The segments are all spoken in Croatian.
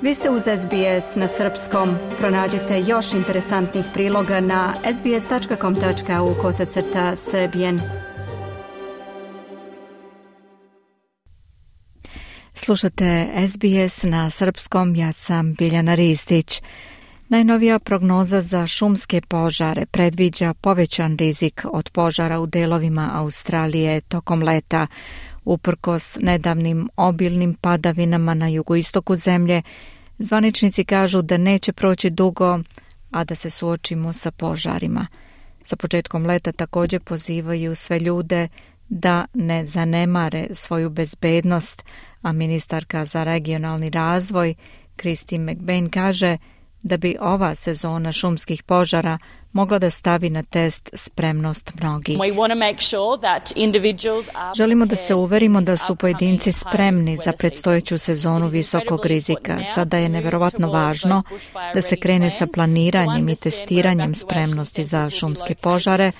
Vi ste uz SBS na srpskom. Pronađite još interesantnih priloga na sbs.com.au/srbijen. Slušate SBS na srpskom, ja sam Biljana Ristić. Najnovija prognoza za šumske požare predviđa povećan rizik od požara u delovima Australije tokom leta. Uprkos nedavnim obilnim padavinama na jugoistoku zemlje, zvaničnici kažu da neće proći dugo, a da se suočimo sa požarima. Sa početkom leta također pozivaju sve ljude da ne zanemare svoju bezbednost, a ministarka za regionalni razvoj Christine McBain kaže da bi ova sezona šumskih požara mogla da stavi na test spremnost mnogih. Želimo da se uverimo da su pojedinci spremni za predstojeću sezonu visokog rizika. Sada je neverovatno važno da se krene sa planiranjem i testiranjem spremnosti za šumske požare,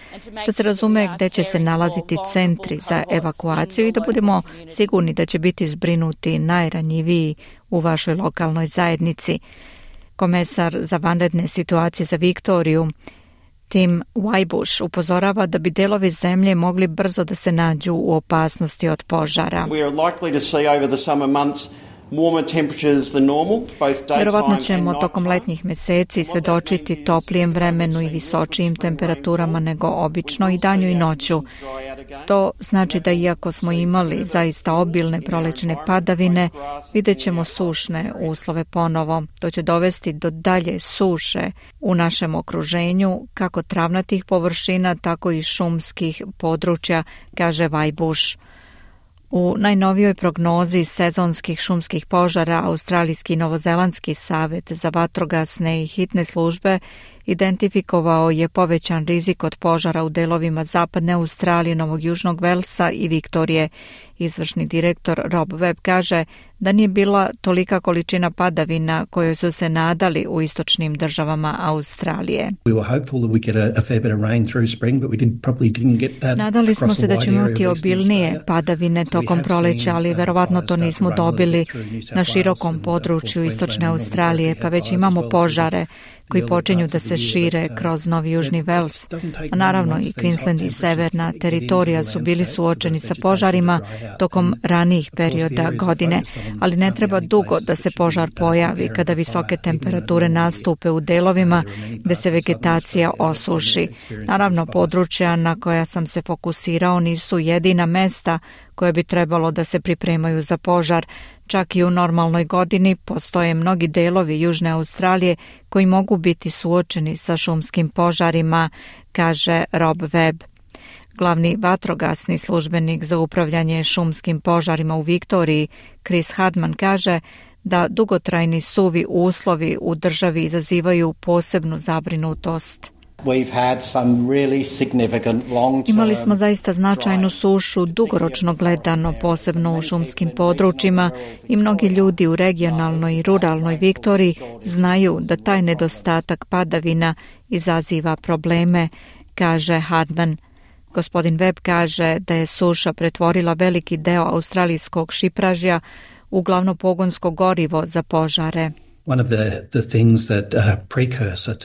da se razume gde će se nalaziti centri za evakuaciju i da budemo sigurni da će biti zbrinuti najranjiviji u vašoj lokalnoj zajednici. Komesar za vanredne situacije za Viktoriju, Tim Wybush, upozorava da bi delovi zemlje mogli brzo da se nađu u opasnosti od požara. Vjerovatno ćemo tokom letnjih mjeseci svedočiti toplijem vremenu i visočijim temperaturama nego obično i danju i noću. To znači da iako smo imali zaista obilne prolećne padavine, vidjet ćemo sušne uslove ponovo. To će dovesti do dalje suše u našem okruženju, kako travnatih površina, tako i šumskih područja, kaže Wybush. U najnovijoj prognozi sezonskih šumskih požara Australijski i Novozelandski savet za vatrogasne i hitne službe identifikovao je povećan rizik od požara u delovima zapadne Australije, Novog Južnog Velsa i Viktorije. Izvršni direktor Rob Webb kaže da nije bila tolika količina padavina kojoj su se nadali u istočnim državama Australije. Nadali smo se da ćemo imati obilnije padavine tokom proleća, ali verovatno to nismo dobili na širokom području istočne Australije, pa već imamo požare koji počinju da se šire kroz Novi Južni Vels. A naravno i Queensland i severna teritorija su bili suočeni sa požarima tokom ranijih perioda godine, ali ne treba dugo da se požar pojavi kada visoke temperature nastupe u delovima gde se vegetacija osuši. Naravno, područja na koja sam se fokusirao nisu jedina mesta koje bi trebalo da se pripremaju za požar. Čak i u normalnoj godini postoje mnogi delovi Južne Australije koji mogu biti suočeni sa šumskim požarima, kaže Rob Webb. Glavni vatrogasni službenik za upravljanje šumskim požarima u Viktoriji, Chris Hardman, kaže da dugotrajni suvi uslovi u državi izazivaju posebnu zabrinutost. Imali smo zaista značajnu sušu dugoročno gledano, posebno u šumskim područjima, i mnogi ljudi u regionalnoj i ruralnoj Viktoriji znaju da taj nedostatak padavina izaziva probleme, kaže Hardman. Gospodin Webb kaže da je suša pretvorila veliki deo australijskog šipražja u glavno pogonsko gorivo za požare.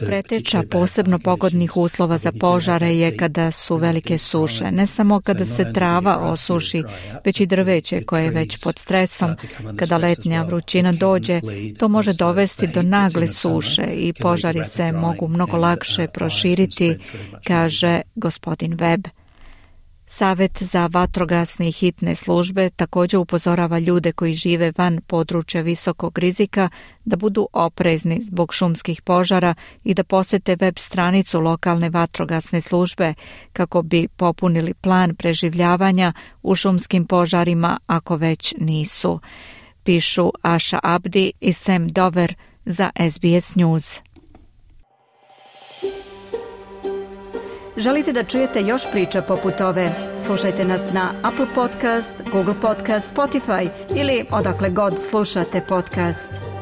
Preteča posebno pogodnih uslova za požare je kada su velike suše, ne samo kada se trava osuši, već i drveće koje je već pod stresom. Kada letnja vrućina dođe, to može dovesti do nagle suše i požari se mogu mnogo lakše proširiti, kaže gospodin Webb. Savet za vatrogasne i hitne službe također upozorava ljude koji žive van područja visokog rizika da budu oprezni zbog šumskih požara i da posete web stranicu lokalne vatrogasne službe kako bi popunili plan preživljavanja u šumskim požarima ako već nisu. Pišu Asha Abdi i Sam Dover za SBS News. Želite da čujete još priča poput ove? Slušajte nas na Apple Podcast, Google Podcast, Spotify ili odakle god slušate podcast.